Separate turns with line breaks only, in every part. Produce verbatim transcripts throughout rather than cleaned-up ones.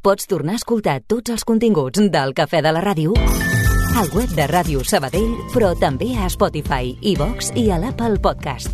pots tornar a escoltar tots els continguts del Cafè de la Ràdio al web de Ràdio Sabadell, però també a Spotify, iVox i a l'Apple Podcast.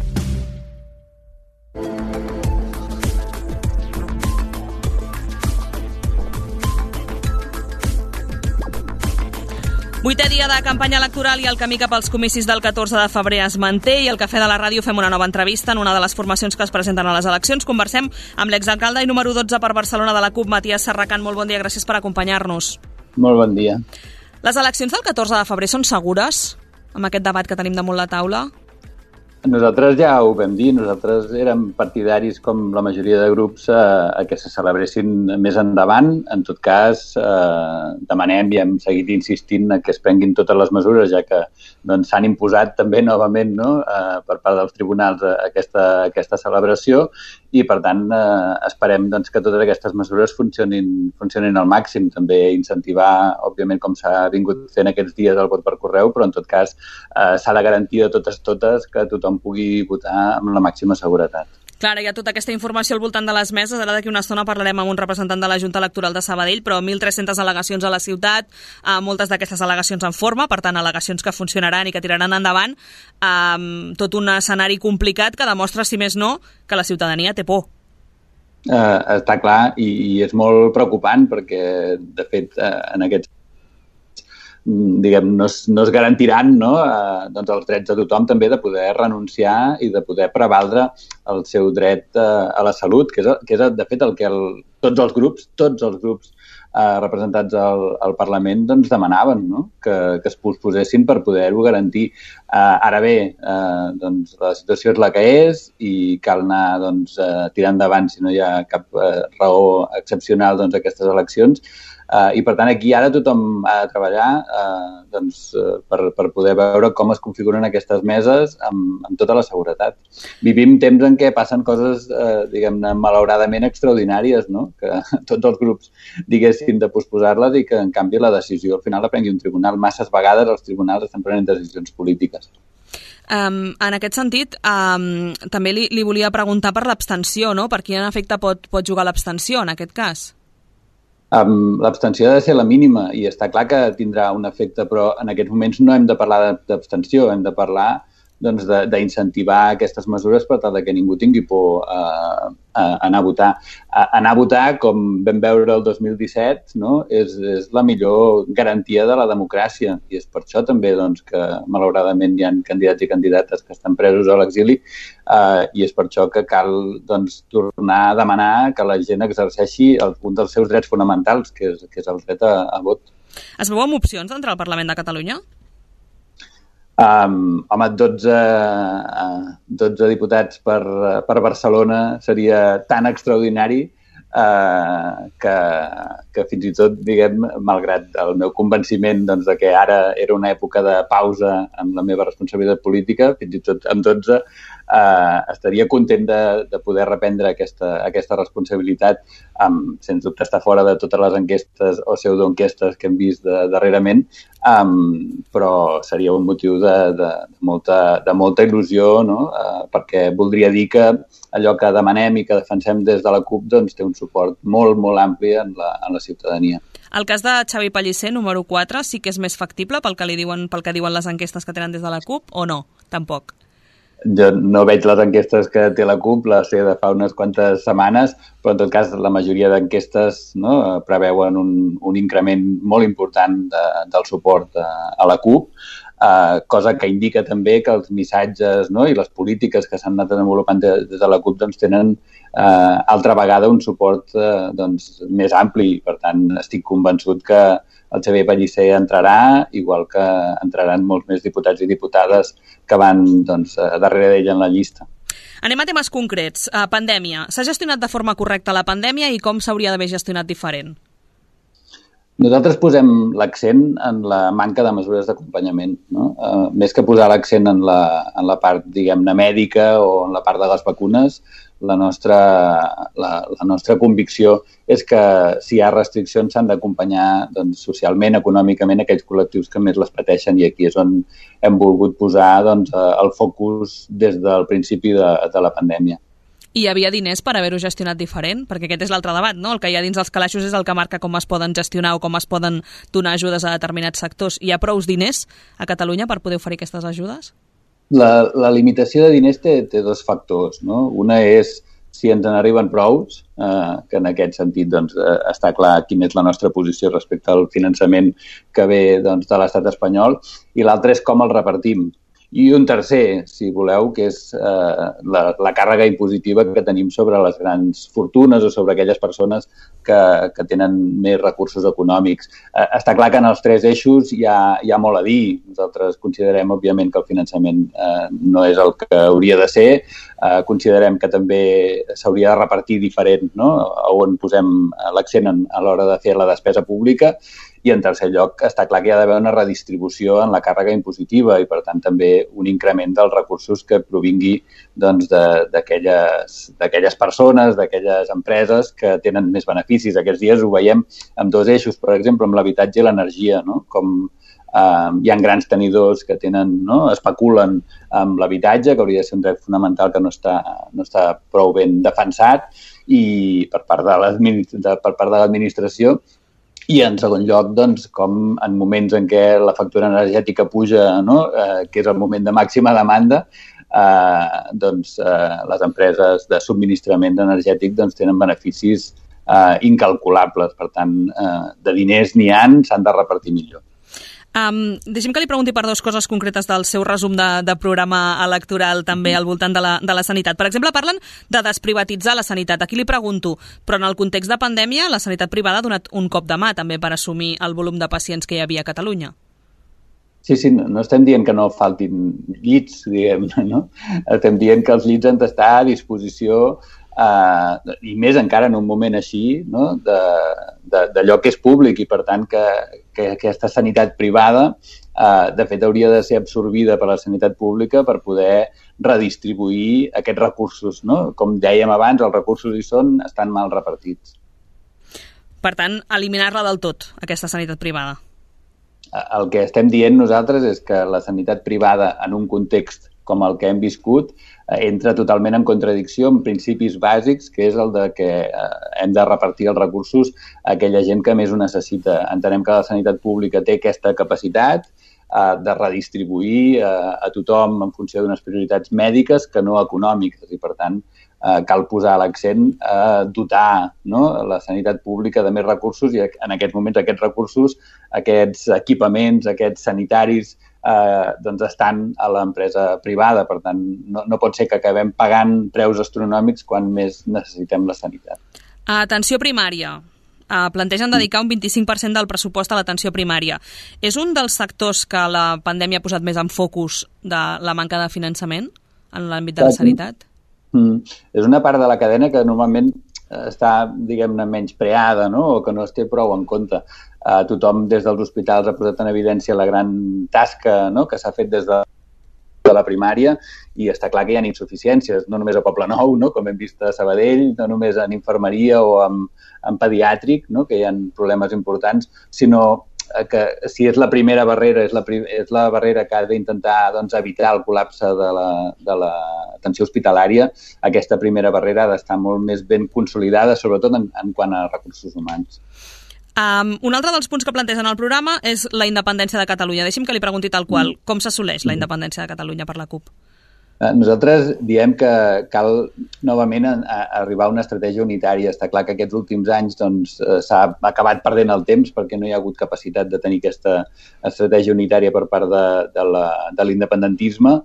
Vuitè dia de campanya electoral i el camí cap als comicis del catorze de febrer es manté i al Cafè de la Ràdio fem una nova entrevista en una de les formacions que es presenten a les eleccions. Conversem amb l'exalcalde i número dotze per Barcelona de la CUP, Matías Serracant. Molt bon dia, gràcies per acompanyar-nos.
Molt bon dia.
Les eleccions del catorze de febrer són segures amb aquest debat que tenim damunt la taula?
Nosaltres ja ho vam dir, nosaltres érem partidaris, com la majoria de grups, a, a que se celebressin més endavant. En tot cas, eh, demanem i hem seguit insistint que es prenguin totes les mesures, ja que doncs, s'han imposat també novament, no?, eh, per part dels tribunals aquesta, aquesta celebració i, per tant, eh, esperem doncs, que totes aquestes mesures funcionin, funcionin al màxim. També incentivar, òbviament, com s'ha vingut fent aquests dies el vot per correu, però, en tot cas, eh, s'ha de garantir de totes totes que tothom pugui votar amb la màxima seguretat.
Clar, hi ha tota aquesta informació al voltant de les meses. Ara d'aquí una estona parlarem amb un representant de la Junta Electoral de Sabadell, però mil tres-centes al·legacions a la ciutat, eh, moltes d'aquestes al·legacions en forma, per tant, al·legacions que funcionaran i que tiraran endavant, eh, tot un escenari complicat que demostra, si més no, que la ciutadania té por.
Eh, està clar i, i és molt preocupant perquè, de fet, eh, en aquests diguem, no es, no es garantiran, no?, eh, doncs els drets de tothom també de poder renunciar i de poder prevaldre el seu dret eh, a la salut, que és, que és de fet el que el, tots els grups, tots els grups eh, representats al, al Parlament doncs demanaven, no?, que, que es posposessin per poder-ho garantir. Eh, ara bé, eh, doncs la situació és la que és i cal anar doncs, eh, tirant endavant si no hi ha cap eh, raó excepcional doncs, a aquestes eleccions. Uh, I, per tant, aquí ara tothom ha de treballar uh, doncs, uh, per, per poder veure com es configuren aquestes meses amb, amb tota la seguretat. Vivim temps en què passen coses, uh, diguem-ne, malauradament extraordinàries, no?, que tots els grups diguessin de posposar-les i que, en canvi, la decisió al final la prengui un tribunal. Masses vegades els tribunals estan prenent decisions polítiques.
Um, en aquest sentit, um, també li, li volia preguntar per l'abstenció, no?, per quin efecte pot, pot jugar l'abstenció en aquest cas?
Um, l'abstenció ha de ser la mínima i està clar que tindrà un efecte, però en aquests moments no hem de parlar d'abstenció, hem de parlar doncs, d'incentivar aquestes mesures per tal que ningú tingui por a, a anar a votar. A, anar a votar, com vam veure el dos mil disset, no?, és, és la millor garantia de la democràcia i és per això també doncs, que malauradament hi ha candidats i candidates que estan presos a l'exili eh, i és per això que cal doncs, tornar a demanar que la gent exerceixi el, un dels seus drets fonamentals, que és, que és el dret a, a vot.
Es veu amb opcions d'entrar al Parlament de Catalunya?
Um, home, dotze, uh, dotze diputats per, per Barcelona seria tan extraordinari uh, que, que fins i tot, diguem, malgrat el meu convenciment doncs, de que ara era una època de pausa en la meva responsabilitat política, fins i tot amb dotze uh, estaria content de, de poder reprendre aquesta, aquesta responsabilitat. Um, sens dubte està fora de totes les enquestes o pseudoenquestes que hem vist de, darrerament, Um, però seria un motiu de, de, de, molta, de molta il·lusió, no? Uh, perquè voldria dir que allò que demanem i que defensem des de la CUP doncs, té un suport molt, molt ampli en la, en la ciutadania.
El cas de Xavi Pellicer, número quatre, sí que és més factible pel que, li diuen, pel que diuen les enquestes que tenen des de la CUP o no? Tampoc.
Jo no veig les enquestes que té la CUP, les sé de fa unes quantes setmanes, però en tot cas la majoria d'enquestes, no, preveuen un, un increment molt important de, del suport a, a la CUP, eh, cosa que indica també que els missatges, no, i les polítiques que s'han anat desenvolupant des de la CUP doncs, tenen eh, altra vegada un suport eh, doncs, més ampli. Per tant, estic convençut que el Xavier Pellicer entrarà, igual que entraran molts més diputats i diputades que van doncs, darrere d'ell en la llista.
Anem a temes concrets. Uh, pandèmia. S'ha gestionat de forma correcta la pandèmia i com s'hauria d'haver gestionat diferent?
Nosaltres posem l'accent en la manca de mesures d'acompanyament, no? Uh, més que posar l'accent en la, en la part, diguem-ne, mèdica o en la part de les vacunes, la nostra, la, la nostra convicció és que si hi ha restriccions s'han d'acompanyar doncs, socialment, econòmicament, aquells col·lectius que més les pateixen i aquí és on hem volgut posar doncs, el focus des del principi de, de la pandèmia.
I hi havia diners per haver-ho gestionat diferent? Perquè aquest és l'altre debat, no? El que hi ha dins dels calaixos és el que marca com es poden gestionar o com es poden donar ajudes a determinats sectors. Hi ha prous diners a Catalunya per poder oferir aquestes ajudes?
La, la limitació de diners té, té dos factors, no? Una és si ens n'arriben prous, eh, que en aquest sentit doncs, eh, està clar quina és la nostra posició respecte al finançament que ve doncs, de l'estat espanyol, i l'altre és com el repartim. I un tercer, si voleu, que és eh, la, la càrrega impositiva que tenim sobre les grans fortunes o sobre aquelles persones que, que tenen més recursos econòmics. Eh, està clar que en els tres eixos hi ha, hi ha molt a dir. Nosaltres considerem, òbviament, que el finançament eh, no és el que hauria de ser. Eh, considerem que també s'hauria de repartir diferent, no? On posem l'accent a l'hora de fer la despesa pública. I, en tercer lloc, està clar que hi ha d'haver una redistribució en la càrrega impositiva i, per tant, també un increment dels recursos que provingui doncs, d'aquelles d'aquelles persones, d'aquelles empreses que tenen més beneficis. Aquests dies ho veiem amb dos eixos, per exemple, amb l'habitatge i l'energia, no? Com eh, hi ha grans tenidors que tenen, no? especulen amb l'habitatge, que hauria de ser un dret fonamental que no està, no està prou ben defensat i per part de l'administració. I, en segon lloc, doncs, com en moments en què la factura energètica puja, no? eh, que és el moment de màxima demanda, eh, doncs, eh, les empreses de subministrament energètic doncs, tenen beneficis eh, incalculables. Per tant, eh, de diners n'hi ha, s'han de repartir millor.
Um, deixem que li pregunti per dues coses concretes del seu resum de, de programa electoral també al voltant de la, de la sanitat. Per exemple, parlen de desprivatitzar la sanitat. Aquí li pregunto, però en el context de pandèmia la sanitat privada ha donat un cop de mà també per assumir el volum de pacients que hi havia a Catalunya.
Sí, sí, no, no estem dient que no faltin llits, diguem, no? Estem dient que els llits han d'estar a disposició Uh, i més encara en un moment així, no? d'allò que és públic i, per tant, que, que aquesta sanitat privada, uh, de fet, hauria de ser absorbida per la sanitat pública per poder redistribuir aquests recursos. No? Com dèiem abans, els recursos hi són, estan mal repartits.
Per tant, eliminar-la del tot, aquesta sanitat privada.
El que estem dient nosaltres és que la sanitat privada, en un context com el que hem viscut, entra totalment en contradicció amb principis bàsics, que és el de que hem de repartir els recursos a aquella gent que més ho necessita. Entenem que la sanitat pública té aquesta capacitat de redistribuir a tothom en funció d'unes prioritats mèdiques que no econòmiques i, per tant, cal posar l'accent a dotar, no? la sanitat pública de més recursos i en aquests moments aquests recursos, aquests equipaments, aquests sanitaris, Eh, doncs estan a l'empresa privada. Per tant, no, no pot ser que acabem pagant preus astronòmics quan més necessitem la sanitat.
Atenció primària. Uh, plantegen dedicar un vint-i-cinc per cent del pressupost a l'atenció primària. És un dels sectors que la pandèmia ha posat més en focus de la manca de finançament en l'àmbit de la sanitat?
Mm. És una part de la cadena que normalment està, diguem-ne, menyspreada, no? O que no es té prou en compte. Uh, tothom des dels hospitals ha posat en evidència la gran tasca, no? Que s'ha fet des de, de la primària i està clar que hi ha insuficiències, no només a Poblenou, no? Com hem vist a Sabadell, no només en infermeria o en, en pediàtric, no? Que hi ha problemes importants, sinó que si és la primera barrera, és la, és la barrera que ha d'intentar doncs, evitar el col·lapse de l'atenció hospitalària, aquesta primera barrera ha d'estar molt més ben consolidada, sobretot en, en quant a recursos humans.
Um, un altre dels punts que plantegen al programa és la independència de Catalunya. Deixi'm que li pregunti tal qual. Com s'assoleix la independència de Catalunya per la CUP?
Nosaltres diem que cal novament a, a arribar a una estratègia unitària. Està clar que aquests últims anys doncs, s'ha acabat perdent el temps perquè no hi ha hagut capacitat de tenir aquesta estratègia unitària per part de, de, la, de l'independentisme.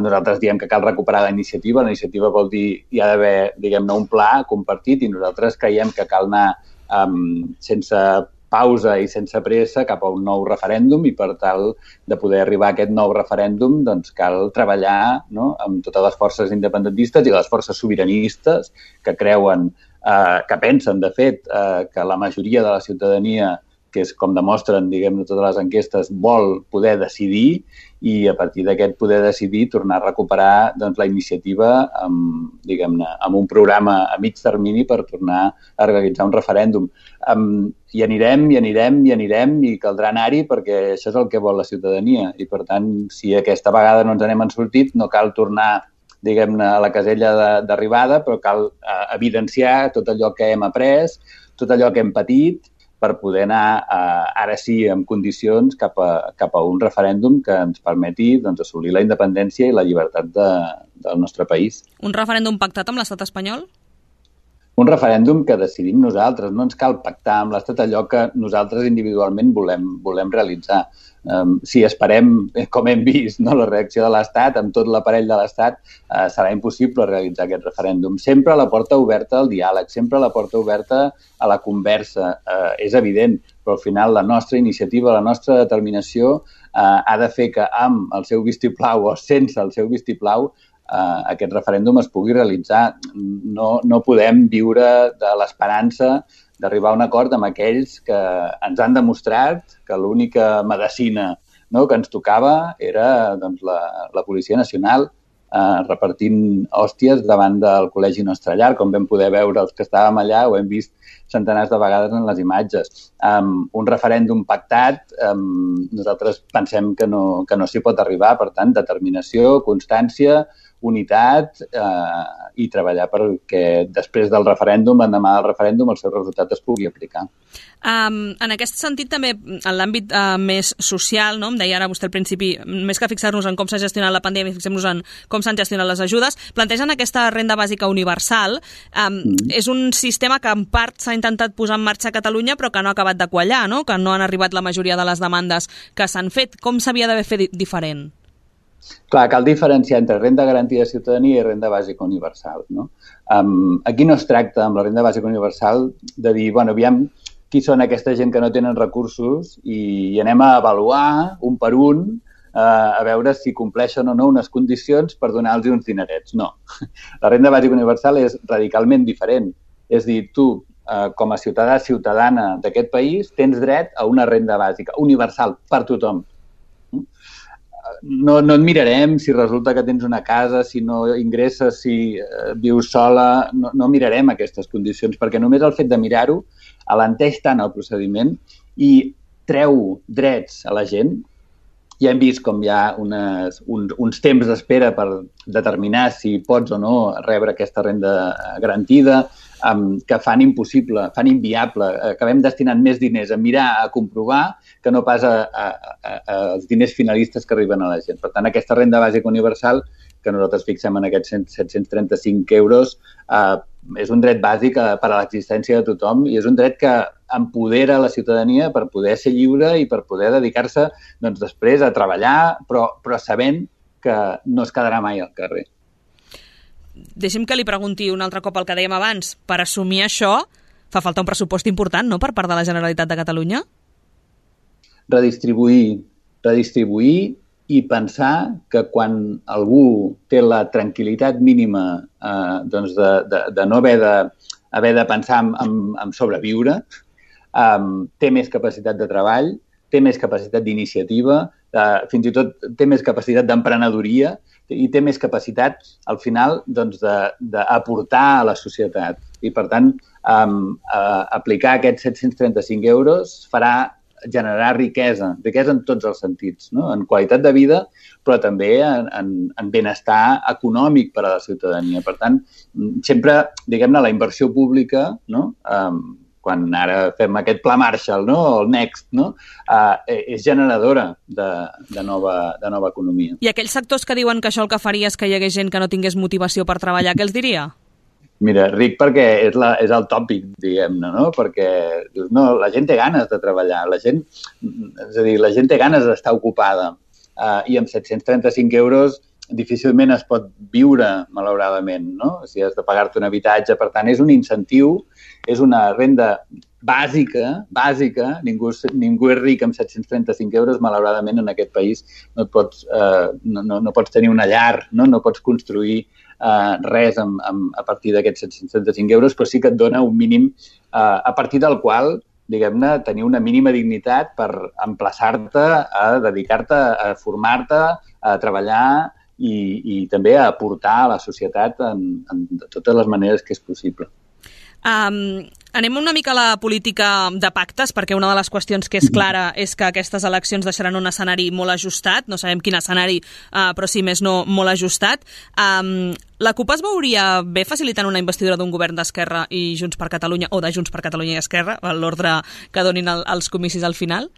Nosaltres diem que cal recuperar la iniciativa. La iniciativa vol dir hi ha d'haver, diguem-ne, un pla compartit i nosaltres creiem que cal anar um, sense pausa i sense pressa cap a un nou referèndum i per tal de poder arribar a aquest nou referèndum doncs cal treballar, no? Amb totes les forces independentistes i les forces sobiranistes que creuen, eh, que pensen de fet eh, que la majoria de la ciutadania, que és com demostren, diguem-ne, totes les enquestes, vol poder decidir i a partir d'aquest poder decidir tornar a recuperar doncs, la iniciativa amb, diguem-ne, amb un programa a mig termini per tornar a realitzar un referèndum. Um, hi anirem, hi anirem, hi anirem i caldrà anar-hi perquè això és el que vol la ciutadania i per tant, si aquesta vegada no ens n'hem sortit, no cal tornar diguem-ne, a la casella d'arribada, però cal eh, evidenciar tot allò que hem après, tot allò que hem patit, per poder anar, eh, ara sí, en condicions cap a, cap a un referèndum que ens permeti doncs, assolir la independència i la llibertat de, del nostre país.
Un referèndum pactat amb l'estat espanyol?
Un referèndum que decidim nosaltres. No ens cal pactar amb l'Estat allò que nosaltres individualment volem, volem realitzar. Um, si esperem, com hem vist, no, la reacció de l'Estat, amb tot l'aparell de l'Estat, uh, serà impossible realitzar aquest referèndum. Sempre la porta oberta al diàleg, sempre la porta oberta a la conversa. Uh, és evident, però al final la nostra iniciativa, la nostra determinació uh, ha de fer que amb el seu vistiplau o sense el seu vistiplau Uh, aquest referèndum es pugui realitzar. No, no podem viure de l'esperança d'arribar a un acord amb aquells que ens han demostrat que l'única medicina, no, que ens tocava era doncs, la, la Policia Nacional uh, repartint hòsties davant del Col·legi Nostre Llar, com vam poder veure els que estàvem allà, ho hem vist centenars de vegades en les imatges. Um, un referèndum pactat, um, nosaltres pensem que no, que no s'hi pot arribar, per tant, determinació, constància, unitat eh, i treballar perquè després del referèndum, l'endemà del referèndum, el seu resultat es pugui aplicar.
Um, en aquest sentit, també, en l'àmbit uh, més social, no? Em deia ara vostè al principi, més que fixar-nos en com s'ha gestionat la pandèmia, fixem-nos en com s'han gestionat les ajudes, plantegen aquesta renda bàsica universal. Um, mm. És un sistema que en part s'ha intentat posar en marxa a Catalunya, però que no ha acabat de quallar, no? Que no han arribat la majoria de les demandes que s'han fet. Com s'havia d'haver fet diferent?
Clar, cal diferenciar entre renda garantida de ciutadania i renda bàsica universal. No? Um, aquí no es tracta, amb la renda bàsica universal, de dir, bueno, aviam qui són aquesta gent que no tenen recursos i, i anem a avaluar un per un uh, a veure si compleixen o no unes condicions per donar-los uns dinerets. No. La renda bàsica universal és radicalment diferent. És dir, tu, uh, com a ciutadà, ciutadana d'aquest país, tens dret a una renda bàsica universal per tothom. No, no et mirarem si resulta que tens una casa, si no ingresses, si eh, vius sola, no, no mirarem aquestes condicions, perquè només el fet de mirar-ho alenteix tant el procediment i treu drets a la gent. Ja hem vist com hi ha unes, uns, uns temps d'espera per determinar si pots o no rebre aquesta renda garantida, um, que fan impossible, fan inviable. Acabem destinant més diners a mirar, a comprovar, que no pas a, a, a, a els diners finalistes que arriben a la gent. Per tant, aquesta renda bàsica universal, que nosaltres fixem en aquests set-cents trenta-cinc euros, eh, és un dret bàsic per a l'existència de tothom i és un dret que empodera la ciutadania per poder ser lliure i per poder dedicar-se doncs, després a treballar, però, però sabent que no es quedarà mai al carrer.
Deixi'm que li pregunti un altre cop el que dèiem abans. Per assumir això fa falta un pressupost important, no?, per part de la Generalitat de Catalunya?
Redistribuir, redistribuir i pensar que quan algú té la tranquil·litat mínima eh, doncs de, de, de no haver de, haver de pensar en, en, en sobreviure, eh, té més capacitat de treball, té més capacitat d'iniciativa, eh, fins i tot té més capacitat d'emprenedoria i té més capacitat, al final, doncs, d'aportar a la societat. I, per tant, eh, eh, aplicar aquests set-cents trenta-cinc euros farà generar riquesa, riquesa en tots els sentits, no? En qualitat de vida, però també en, en, en benestar econòmic per a la ciutadania. Per tant, sempre, diguem-ne, la inversió pública, no? Um, quan ara fem aquest pla Marshall, no? El Next, no? Uh, és generadora de, de, nova, de nova economia.
I aquells sectors que diuen que això el que faria és que hi hagués gent que no tingués motivació per treballar, què els diria?
Mira, ric perquè és, la, és el tòpic, diguem-ne, no? Perquè dius, no, la gent té ganes de treballar, la gent, és a dir, la gent té ganes d'estar ocupada uh, i amb set-cents trenta-cinc euros difícilment es pot viure, malauradament, no? Si has de pagar-te un habitatge, per tant, és un incentiu, és una renda bàsica, bàsica, ningú, ningú és ric amb set-cents trenta-cinc euros, malauradament en aquest país no, et pots, uh, no, no, no pots tenir una llar, no, no pots construir Uh, res amb, amb, a partir d'aquests set-cents trenta-cinc euros, però sí que et dona un mínim uh, a partir del qual, diguem-ne, tenir una mínima dignitat per emplaçar-te a dedicar-te a formar-te, a treballar i, i també a aportar a la societat en, en de totes les maneres que és possible.
Um, anem una mica a la política de pactes, perquè una de les qüestions que és clara és que aquestes eleccions deixaran un escenari molt ajustat, no sabem quin escenari, uh, però si més no, molt ajustat. Um, la CUP es veuria bé facilitant una investidura d'un govern d'Esquerra i Junts per Catalunya, o de Junts per Catalunya i Esquerra, a l'ordre que donin el, els comicis al final?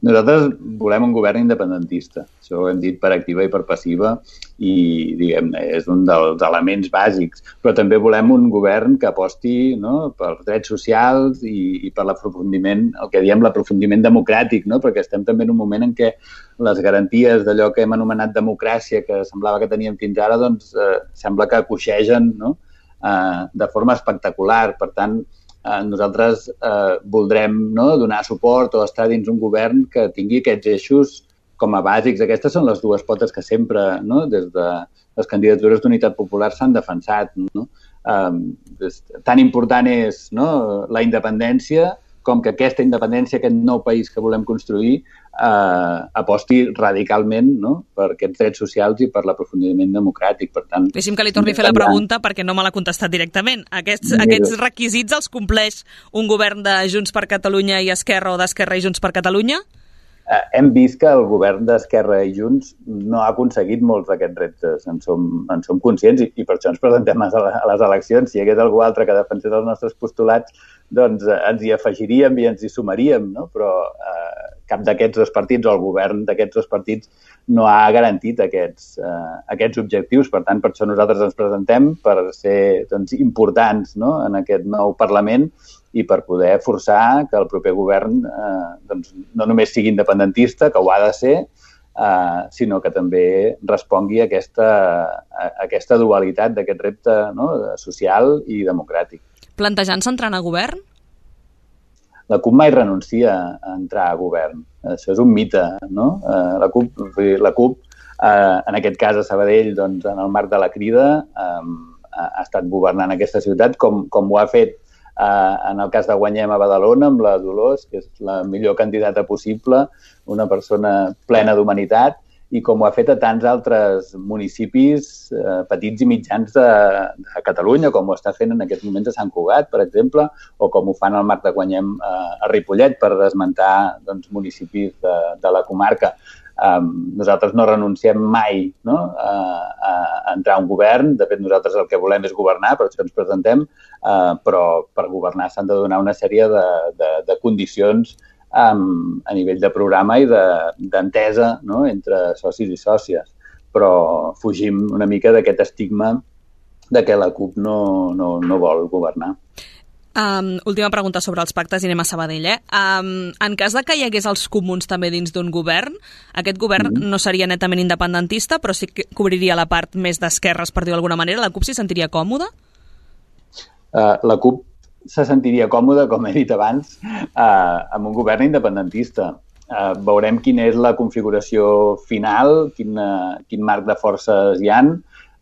Nosaltres volem un govern independentista. Això ho hem dit per activa i per passiva i, diguem-ne, és un dels elements bàsics. Però també volem un govern que aposti, no?, pels drets socials i, i per l'aprofundiment, el que diem l'aprofundiment democràtic, no?, perquè estem també en un moment en què les garanties d'allò que hem anomenat democràcia, que semblava que teníem fins ara, doncs eh, sembla que coixegen, no?, eh, de forma espectacular. Per tant, Eh, nosaltres eh, voldrem, no?, donar suport o estar dins un govern que tingui aquests eixos com a bàsics. Aquestes són les dues potes que sempre, no?, des de les candidatures d'Unitat Popular s'han defensat, no? Eh, tan important és, no?, la independència com que aquesta independència, aquest nou país que volem construir, eh, aposti radicalment, no?, per aquests drets socials i per l'aprofundiment democràtic. Per tant,
deixi'm que li torni a fer la pregunta perquè no me l'ha contestat directament. Aquests, aquests requisits els compleix un govern de Junts per Catalunya i Esquerra o d'Esquerra i Junts per Catalunya?
Eh, hem vist que el govern d'Esquerra i Junts no ha aconseguit molts d'aquests reptes. En som, en som conscients i, i per això ens presentem a, a les eleccions. Si hi hagués algú altre que defensés els nostres postulats, doncs eh, ens hi afegiríem i ens hi sumaríem, no? Però eh, cap d'aquests dos partits o el govern d'aquests dos partits no ha garantit aquests, eh, aquests objectius. Per tant, per això nosaltres ens presentem per ser, doncs, importants, no?, en aquest nou Parlament i per poder forçar que el proper govern eh, doncs, no només sigui independentista, que ho ha de ser, eh, sinó que també respongui a aquesta, a aquesta dualitat d'aquest repte, no?, social i democràtic.
Plantejant-se entrar a govern?
La CUP mai renuncia a entrar a govern. Això és un mite, no? Eh, la CUP, la CUP eh, en aquest cas a Sabadell, doncs, en el marc de la Crida, eh, ha estat governant aquesta ciutat com, com ho ha fet Uh, en el cas de Guanyem a Badalona, amb la Dolors, que és la millor candidata possible, una persona plena d'humanitat, i com ho ha fet a tants altres municipis uh, petits i mitjans de, de Catalunya, com ho està fent en aquests moments a Sant Cugat, per exemple, o com ho fan al marc de Guanyem uh, a Ripollet, per esmentar, doncs, municipis de, de la comarca. Um, nosaltres no renunciem mai, no?, a, a entrar a un govern. De fet, nosaltres el que volem és governar, per això ens presentem, uh, però per governar s'han de donar una sèrie de, de, de condicions um, a nivell de programa i d'entesa, de, no?, entre socis i sòcies. Però fugim una mica d'aquest estigma de que la CUP no, no, no vol governar.
Um, última pregunta sobre els pactes i anem a Sabadell. Eh? Um, en cas de que hi hagués els comuns també dins d'un govern, aquest govern mm-hmm. no seria netament independentista, però sí que cobriria la part més d'esquerres, per dir-ho d'alguna manera. La CUP s'hi sentiria còmoda?
Uh, la CUP se sentiria còmoda, com he dit abans, uh, amb un govern independentista. Uh, veurem quina és la configuració final, quin, uh, quin marc de forces hi han.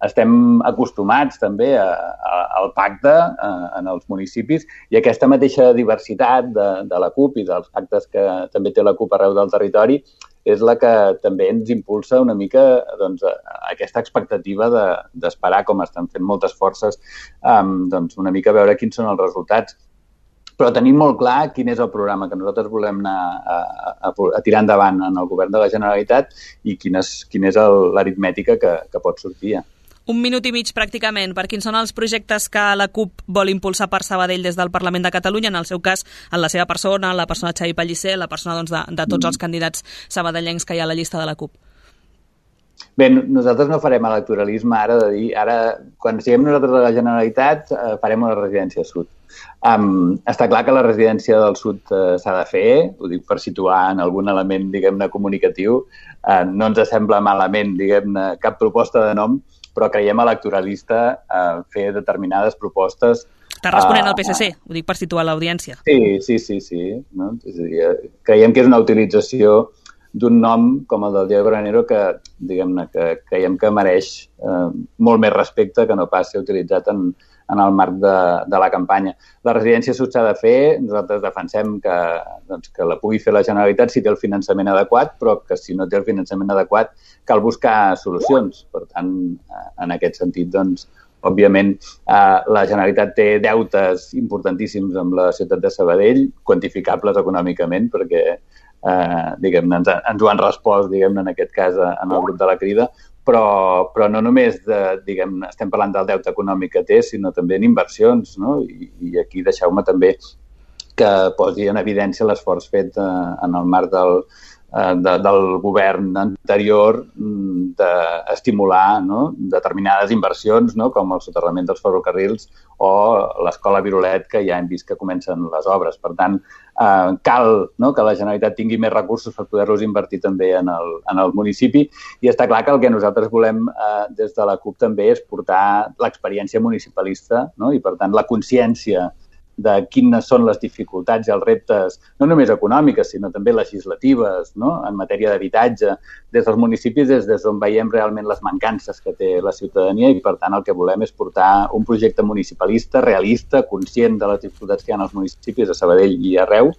Estem acostumats també a, a, al pacte a, en els municipis i aquesta mateixa diversitat de, de la CUP i dels pactes que també té la CUP arreu del territori és la que també ens impulsa una mica, doncs, a, a aquesta expectativa de, d'esperar, com estan fent moltes forces, um, doncs, una mica veure quins són els resultats. Però tenim molt clar quin és el programa que nosaltres volem anar a, a, a tirar endavant en el govern de la Generalitat i quina és, quina és l'aritmètica que, que pot sortir.
Un minut i mig pràcticament. Per quins són els projectes que la CUP vol impulsar per Sabadell des del Parlament de Catalunya, en el seu cas, en la seva persona, la persona de Xavi Pellicer, la persona, doncs, de, de tots els candidats sabadellencs que hi ha a la llista de la CUP?
Bé, nosaltres no farem electoralisme ara de dir, ara, quan siguem nosaltres a la Generalitat, eh, farem una residència sud. Um, està clar que la residència del sud eh, s'ha de fer, ho dic per situar en algun element, diguem-ne, comunicatiu. Eh, no ens sembla malament, diguem-ne, cap proposta de nom, però creiem electoralista eh, fer determinades propostes.
Està responent al P S C, uh, ho dic per situar l'audiència.
Sí, sí, sí, sí. No? És a dir, creiem que és una utilització d'un nom com el del Diego Granero que, diguem-ne, que creiem que mereix eh, molt més respecte que no pas ser utilitzat en, en el marc de, de la campanya. La residència sud s'ha de fer, nosaltres defensem que, doncs, que la pugui fer la Generalitat si té el finançament adequat, però que si no té el finançament adequat cal buscar solucions. Per tant, en aquest sentit, doncs, òbviament, eh, la Generalitat té deutes importantíssims amb la ciutat de Sabadell, quantificables econòmicament, perquè eh, diguem-ne, ens, ens ho han respost, diguem-ne, en aquest cas, en el grup de la Crida, però, però no només de, diguem, estem parlant del deute econòmic que té, sinó també en inversions, no? I, i aquí deixeu-me també que posi en evidència l'esforç fet eh, en el marc del, eh, de, del govern anterior d'estimular, no? determinades inversions, no? com el soterrament dels ferrocarrils o l'escola Virolet, que ja hem vist que comencen les obres. Per tant, eh, cal, no? que la Generalitat tingui més recursos per poder-los invertir també en el, en el municipi, i està clar que el que nosaltres volem eh, des de la CUP també és portar l'experiència municipalista, no? i per tant la consciència de quines són les dificultats i els reptes, no només econòmiques, sinó també legislatives, no? en matèria d'habitatge, des dels municipis, des, des d'on veiem realment les mancances que té la ciutadania, i per tant el que volem és portar un projecte municipalista, realista, conscient de les dificultats que hi ha als municipis de Sabadell i arreu,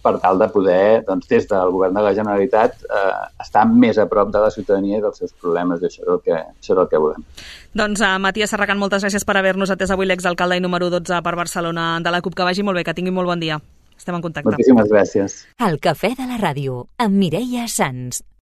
per tal de poder, doncs, des del govern de la Generalitat, eh, estar més a prop de la ciutadania i dels seus problemes, i això és el que, això és el que volem.
Doncs, uh, Matías Serracant, moltes gràcies per haver-nos atès avui, l'exalcalde i número dotze per Barcelona de la CUP. Que vagi molt bé, que tingui molt bon dia. Estem en contacte.
Moltíssimes gràcies.
El Cafè de la Ràdio, amb Mireia Sans.